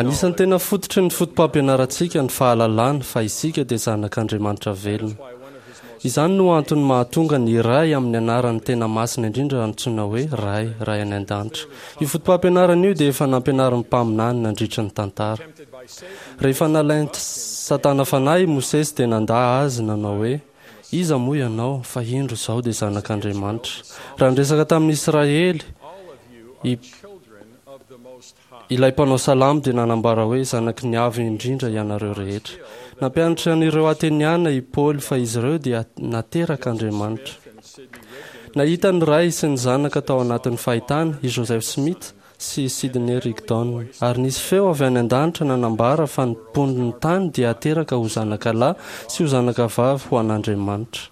Anisan'ny tena fototry ny fotopampianarantsika ny fahalalana fa isika dia zanak'Andriamanitra velona. Izany no antony mahatonga ny Ray amin'ny anarany tena masina indrindra antsoina hoe Ray, Ray any an-danitra. Io fotopampianarana io dia efa nampianarin'ny mpaminany nandritra ny tantara. Rehefa nalain'i Satana fanahy i Mosesy dia nandà azy nanao hoe, Iza moa ianao, fa indro izaho dia zanak'Andriamanitra. Raha niresaka tamin'ny Israely i Ilay mpanao salamo dia nanambara hoe, Zanaky ny Avo Indrindra ianareo rehetra. Nampianatra an'ireo Ateniana i Paoly fa izy ireo dia naterak'Andriamanitra. Nahita ny Ray sy ny Zanaka tao anatin'ny fahitana i Joseph Smith sy i Sidney Rigdon, ary nisy feo avy any an-danitra nanambara fa ny mponin'ny tany dia hateraka ho zanaka lahy sy ho zanaka vavy ho an'Andriamanitra.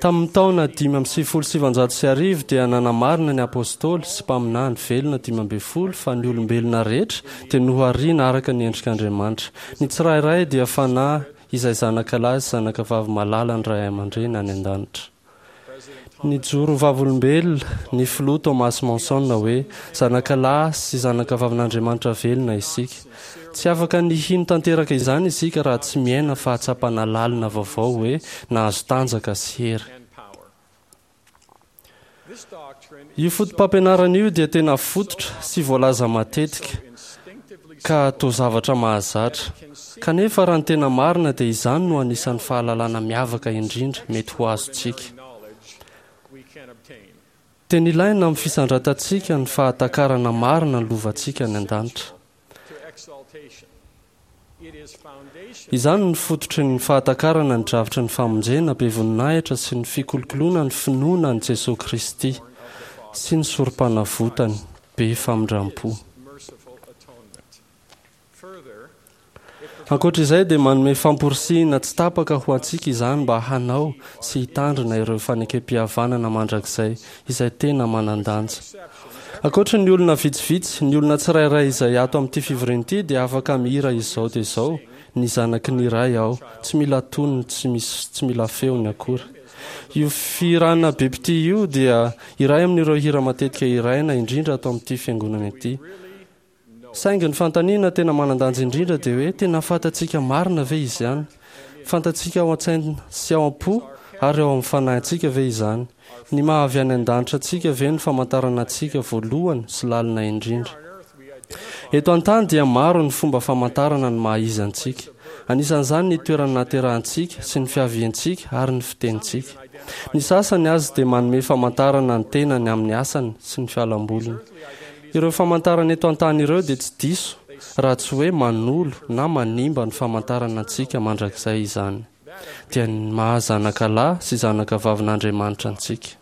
Tamin'ny taona 1995 dia nanamarina ny Apôstôly sy mpaminany velona 15 fa ny olombelona rehetra dia nohariana araka ny endrik'Andriamanitra. Ny tsirairay dia fanahy izay zanaka lahy sy zanaka vavy malalan'ny Ray aman-dreny any an-danitra. Nijoro ho vavolombelona ny Filoha Thomas Monson hoe, Zanaka lahy sy zanaka vavin'Andriamanitra velona isika. Tsy afaka ny hino tanteraka izany isika raha tsy miaina fahatsapana lalina vaovao hoe nahazo tanjaka sy hery. Io fotopampianarana io dia tena fototra sy voalaza matetika ka toa zavatra mahazatra. Kanefa raha ny tena marina dia izany no anisan'ny fahalalana miavaka indrindra mety ho azontsika. Tena ilaina amin'ny fisandratantsika ny fahatakarana marina ny lovantsika any an-danitra. Izany no fototry ny fahatakarana ny drafitry ny famonjena be voninahitra sy ny fikolokoloana ny finoana an'i Jesoa Kristy sy ny Sorompanavotany be famindram-po. Ankoatra izay dia manome famporisihina tsy tapaka ho antsika izany mba hanao sy hitandrina ireo fanekempihavanana mandrakizay izay tena manan-danja. Ankoatra ny olona vitsivitsy, ny olona tsirairay izay ato amin'ity fivoriana ity dia afaka mihira izao dia izao, Ny zanaky ny Ray aho. Tsy mila tonony, tsy misy, tsy mila feony akory. Io fihirana be mpitia io dia iray amin'ireo hira matetika hiraina indrindra ato amin'ity fiangonana ity. Saingy ny fanontaniana tena manan-danja indrindra dia hoe tena fantatsika marina ve izany? Fantatsika ao an-tsaina sy ao am-po ary ao amin'ny fanahintsika ve izany? Ny maha avy any an-danitra antsika ve no famantarana antsika voalohany sy lalina indrindra? Eto an-tany dia maro ny fomba famantarana ny maha izy antsika. Anisan'izany ny toerana nahaterahantsika sy ny fiaviantsika ary ny fitenintsika. Ny sasany aza dia manome famantarana ny tenany amin'ny asany sy ny fialamboliny. Ireo famantarana eto an-tany ireo dia tsy diso raha tsy hoe manolo na manimba ny famantarana antsika mandrakizay izany, dia ny maha zanaka lahy sy zanaka vavin'Andriamanitra antsika.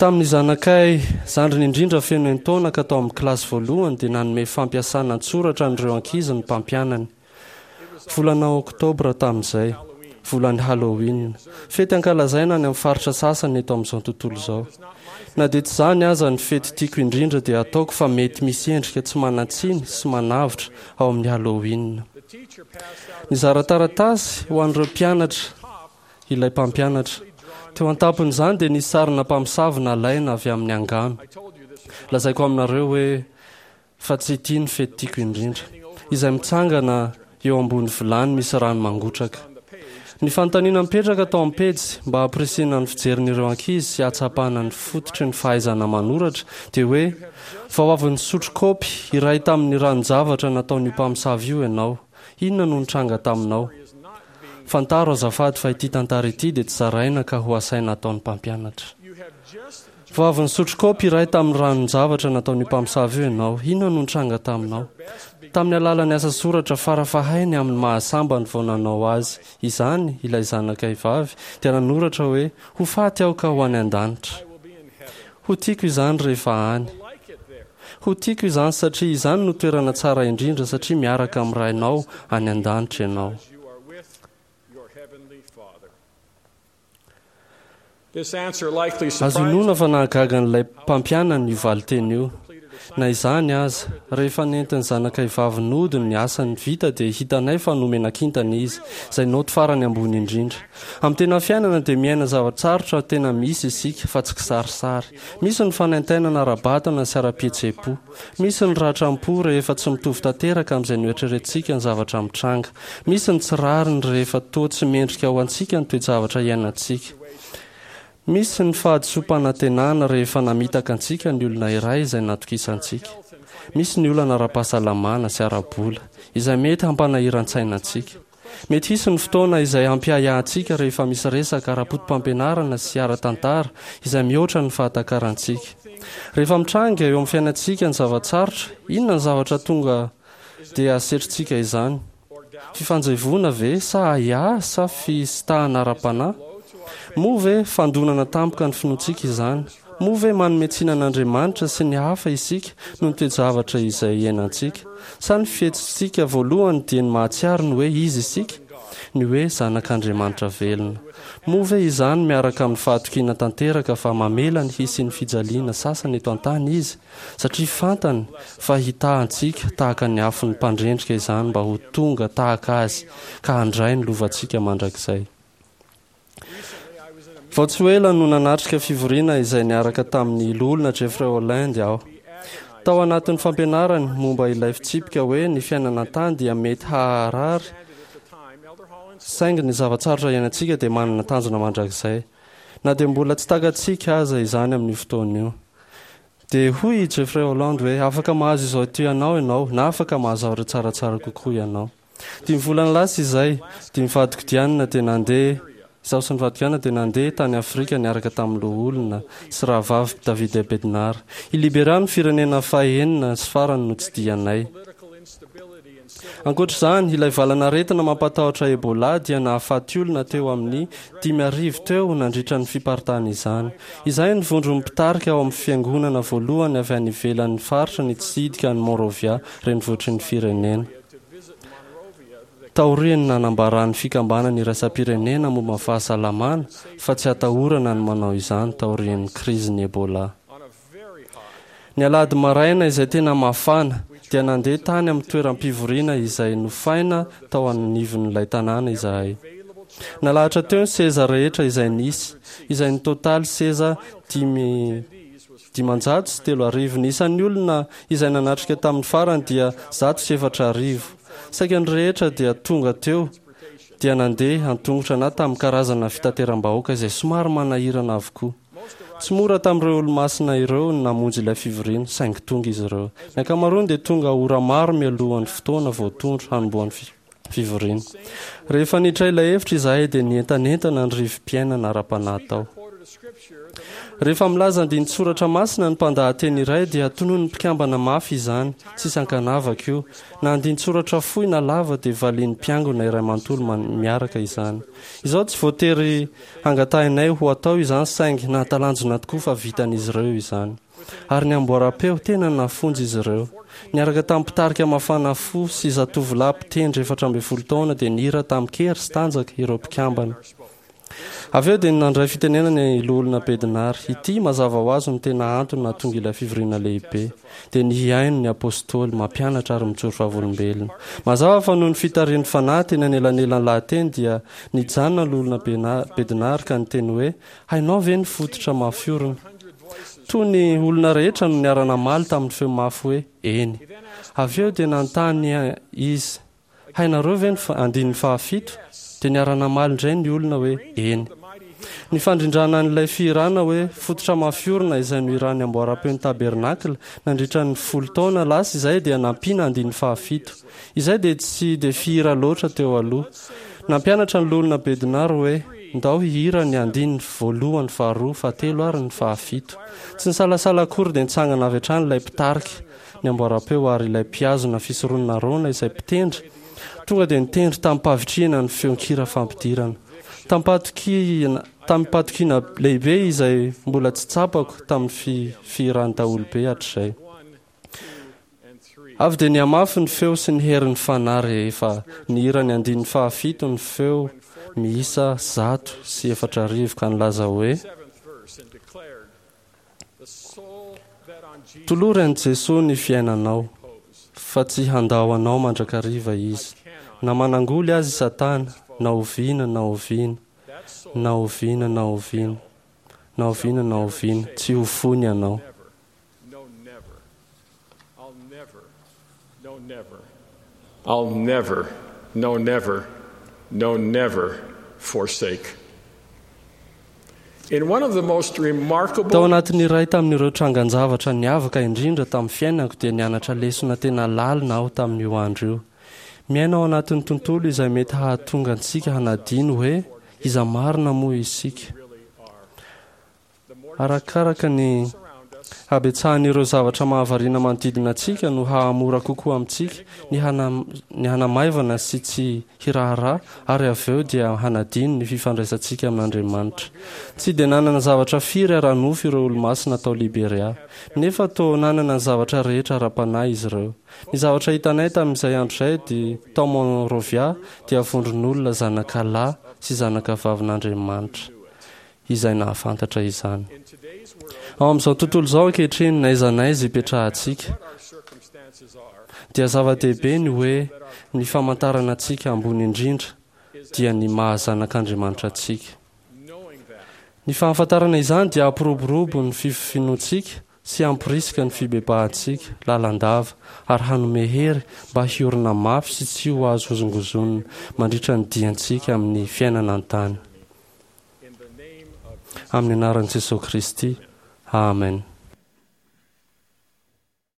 Tamin'ny zanakay zandriny indrindra feno enin-taona ka tao amin'ny kilasy voalohany dia nanome fampiasana an-tsoratra an'ireo ankizy ny mpampianany. Volana Oktobra tamin'izay, volan'ny Halloween, fety ankalazaina any amin'ny faritra sasany eto amin'izao tontolo izao. Na dia tsy izany aza ny fety tiako indrindra dia ataoko fa mety misy endrika tsy manan-tsiny sy manavotra ao amin'ny Halloween. Nizara taratasy ho an'ireo mpianatra ilay mpampianatra. Teo an-tampon'izany dia nisy sarina mpamosavy nalaina avy amin'ny angano. Lazaiko aminareo hoe Fa tsy ity no fety tiako indrindra. Izay mitsangana eo ambony vilany misy rano mangotraka. Ny fanontaniana mipetraka tao amin'ny pejy mba hampirisihina ny fijerin'ireo ankizy sy hahatsapana ny fototry ny fahaizana manoratra dia hoe, Vao avy nisotro kaopy iray tamin'ny ranon-javatra nataon'io mpamosavy io ianao. Inona no nitranga taminao? Fantaro azafady fa ity tantara ity dia tsy zaraina ka ho asaina ataon'ny mpampianatra. Vao avy nisotro kaopy iray tamin'ny ranon-javatra nataon'io mpamosavy io ianao. Inona no nitranga taminao? Tamin'ny alalan'ny asa soratra farafahainy amin'ny maha-sambany vao nanao azy izany ilay zanakay vavy dia nanoratra hoe, Ho faty aho ka ho any an-danitra. Ho tiako izany rehefa any. Ho tiako izany satria izany no toerana tsara indrindra satria miaraka amin'ny Rainao any an-danitra ianao. Azo inoana fa nahagaga an'ilay mpampianany io valinteny io. Na izany aza, rehefa nentin'ny zanakay vavy nody ny asany vita dia hitanay fa nomena kintana izy, izay naoty farany ambony indrindra. Amin'ny tena fiainana dia miaina zava-tsarotra tena misy isika fa tsy kisarisary. Misy ny fanaintainana ara-batana sy ara-pihetseham-po. Misy ny ratram-po rehefa tsy mitovy tanteraka amin'izay noeritreretintsika ny zavatra mitranga. Misy ny tsy rariny rehefa toa tsy mendrika ho antsika ny toe-javatra iainantsika. Misy ny fahadisoam-panantenana rehefa namitaka antsika ny olona iray izay natokisantsika. Misy ny olana ara-pahasalamana sy ara-bola, izay mety hampanahiran-tsaina antsika. Mety hisy ny fotoana izay hampiahiahy antsika rehefa misy resaka ara-poto-pampianarana sy ara-tantara izay mihoatra ny fahatakarantsika. Rehefa mitranga eo amin'ny fiainantsika ny zava-tsarotra, inona ny zavatra tonga dia asetrintsika izany? Fifanjevoana ve sa ahiahy sa fisintahana ara-panahy? Moa ve fandonana tampoka ny finoantsika izany? Moa ve manome tsiny an'Andriamanitra sy ny hafa isika noho ny toe-javatra izay iainantsika? Sa ny fihetsitsika voalohany dia ny mahatsiaro ny hoe iza isika? Ny hoe zanak'Andriamanitra velona. Moa ve izany miaraka amin'ny fahatokiana tanteraka fa mamela ny hisian'ny fijaliana sasany eto an-tany Izy? Satria fantany fa hitaha antsika tahaka ny afon'ny mpandrendrika izany mba ho tonga tahaka Azy ka handray ny lovantsika mandrakizay. Vao tsy ho ela no nanatrika fivoriana izay niaraka tamin'ny Loholona Jeffrey Holland aho. Tao anatin'ny fampianarany momba ilay fitsipika hoe ny fiainana an-tany dia mety haharary saingy ny zava-tsarotra iainantsika dia manana tanjona mandrakizay. Na dia mbola tsy takatsika aza izany amin'io fotoana io. Dia hoy i Jeffrey Holland hoe, Afaka mahazo izao ity ianao ianao, na afaka mahazo zavatra tsaratsara kokoa ianao. Dimy volana lasa izay, dia ny vadiko Diana dia nandeha, izaho sy ny vadiko Diana dia nandeha tany Afrika niaraka tamin'ny loholona sy rahavavy David A. Bednar. I Liberia no firenena fahenina sy farany notsidihanay. Ankoatra izany, ilay valanaretina mampatahotra Ebola dia nahafaty olona teo amin'ny 5000 teo nandritra ny fiparitahan'izany. Izay ny vondron'ny mpitarika ao amin'ny fiangonana voalohany avy any ivelan'ny faritra nitsidika an'i Monrovia, renivohitry ny firenena. Taorian'ny nanambaran'ny Fikambanana Iraisam-pirenena momba ny Fahasalamana fa tsy atahorana ny manao izany taorian'ny krizin'ny Ebola. Ny alahady maraina izay tena mafana, dia nandeha tany amin'ny toeram-pivoriana izay nofaina tao anivon'ilay tanàna izahay. Nalahatra teo ny seza rehetra izay nisy, izay nitotaly seza 35 500. Ny isan'ny olona izay nanatrika tamin'ny farany dia 104. Saika ny rehetra dia tonga teo dia nandeha an-tongotra na tamin'ny karazana fitateram-bahoaka izay somary manahirana avokoa. Tsy mora tamin'ireo Olomasina ireo ny namonjy ilay fivoriana, saingy tonga izy ireo. Ny ankamaroany dia tonga ora maro mialohan'ny fotoana voatondro hanombohan'ny fivoriana. Rehefa niditra ilay efitra izahay dia nientanentana ny rivo-piainana ara-panahy tao. Rehefa milaza andinin-tsoratra masina ny mpandahateny iray dia tononin'ny mpikambana mafy izany, tsisy ankanavaka io. Na andinin-tsoratra fohy na lava dia valian'ny mpiangona iray manontolo miaraka izany. Izao tsy voatery Hangatahinay ho atao izany saingy nahatalanjona tokoa fa vitan'izy ireo izany. Ary ny amboaram-peo, tena nafonja izy ireo. Niaraka tamin'ny mpitarika mafana fo sy zatovolahy mpitendry 14 taona dia nihira tamin-kery sy tanjaka ireo mpikambana. Avy eo dia nandray fitenenana i Loholona Bednar. Ity, mazava ho azy, no tena antony nahatonga ilay fivoriana lehibe. Dia ny hihaino ny Apostoly, mampianatra ary mijoro vavolombelona. Mazava fa noho ny fitarihan'ny Fanahy teny anelanelan'ny lahateny dia Nijanona ny Loholona Bednar ka niteny hoe, Hainao ve ny fototra mafy orina? Toy ny olona rehetra no niara-namaly tamin'ny feo mafy hoe, Eny. Avy eo dia nanontany izy, Hainareo ve ny andininy fahafito? Dia niara-namaly indray ny olona hoe, Eny. Ny fandrindrana an'ilay fihirana hoe Fototra mafy orina izay nohiran'ny Amboaram-peon'ny Tabernakla nandritra ny folo taona lasa izay dia nampiana andininy fahafito. Izay dia tsy dia fihira loatra teo aloha. Nampianatra ny Loholona Bednar hoe, Ndao hihira ny andininy voalohany, faharoa, fahatelo ary ny fahafito. Tsy nisalasala akory dia nitsangana avy hatrany ilay mpitarika ny amboaram-peo ary ilay mpihazona fisoronana Arona izay mpitendry tonga dia nitendry tamim-pahavitrihana ny feon-kira fampidirana. Tamim-pahatokiana tamim-pahatokiana lehibe izay mbola tsy tsapako tamin'ny fihiran'ny daholobe hatrizay. Avy dia nihamafy ny feo sy ny herin'ny Fanahy rehefa nihira ny andininy fahafito ny feo miisa 4100 ka nilaza hoe. Tolory an'i Jesoa ny fiainanao, fa tsy handao anao mandrakariva Izy. Na manangoly aza i Satana, na oviana na oviana, na oviana na oviana, na oviana na oviana, tsy ho foiny ianao. I'll never, no never, no never forsake. In one of the most remarkable Tao anatin'ny iray tamin'ireo trangan-javatra niavaka indrindra tamin'ny fiainako dia nianatra lesona tena lalina aho tamin'io andro io. Miaina ao anatin'ny tontolo izay mety hahatonga antsika hanadino hoe iza marina moa isika. Arakaraka ny habetsahan'ireo zavatra mahavariana manodidina antsika no hahamora kokoa amintsika ny ny hanamaivana sy tsy hiraharaha ary avy eo dia hanadino ny fifandraisantsika amin'Andriamanitra. Tsy dia nanana zavatra firy ara-nofo ireo Olomasina tao Liberia, nefa toa nanana ny zavatra rehetra ara-panahy izy ireo. Ny zavatra hitanay tamin'izay andro izay dia tao Monrovia dia vondron'olona zanaka lahy sy zanaka vavin'Andriamanitra izay nahafantatra izany. Ao amin'izao tontolo izao ankehitriny, n'aiza n'aiza ipetrahantsika, dia zava-dehibe ny hoe ny famantarana antsika ambony indrindra dia ny maha zanak'Andriamanitra antsika. Ny fahafantarana izany dia hampiroborobo ny finoantsika sy hamporisika ny fibebahantsika lalandava ary hanome hery mba hiorina mafy sy tsy ho azo hozongozonina mandritra ny diantsika amin'ny fiainana an-tany. Amin'ny anaran'i Jesoa Kristy. Amen.